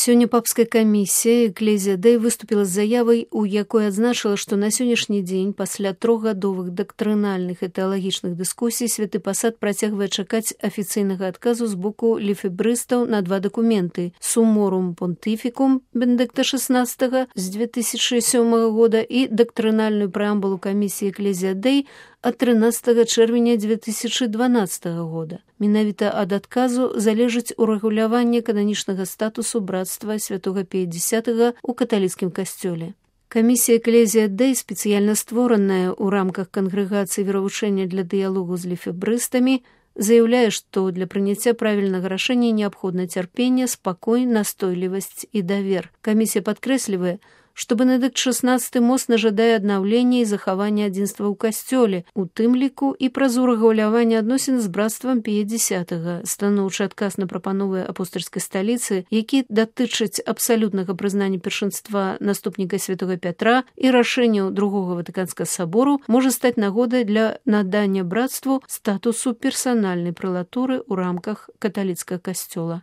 Сёння папская камісія Экклезія Дэй выступіла з заявай, у якой адзначыла, што на сённяшні дзень пасля трохгадовых дактрынальных і тэалагічных дыскусій святы пасад працягвае чакаць афіцыйнага адказу з боку лефебрыстаў на два дакументы: Summorum Pontificum Бенедыкта XVI з 2007 года і дактрынальную прэамбулу камісіі Экклезія Дэй ад 13 чэрвеня 2012 года. Менавіта ад адказу залежыць урэгуляванне кананічнага статусу братства святога Пія X у каталіцкім касцёле. Камісія Экклезія Дэй, спецыяльна створаная ў рамках кангрэгацыі веравучэння для дыялогу з лефебрыстамі, заяўляе, што для прыняцця правільнага рашэння неабходна цярпенне, спакой, настойлівасць і давер. Камісія падкрэслівае, што Бенедыкт XVI моцна жадае аднаўлення і захавання адзінства ў касцёле, у тым ліку і праз урэгуляванне адносін з братствам Пія X. Станоўчы адказ на прапановы апостальскай сталіцы, які датычаць абсалютнага прызнання першынства наступніка святога Пятра і рашэнняў Другога Ватыканскага сабору, можа стаць нагодай для надання братству статусу персанальнай прэлатуры ў рамках каталіцкага касцёла.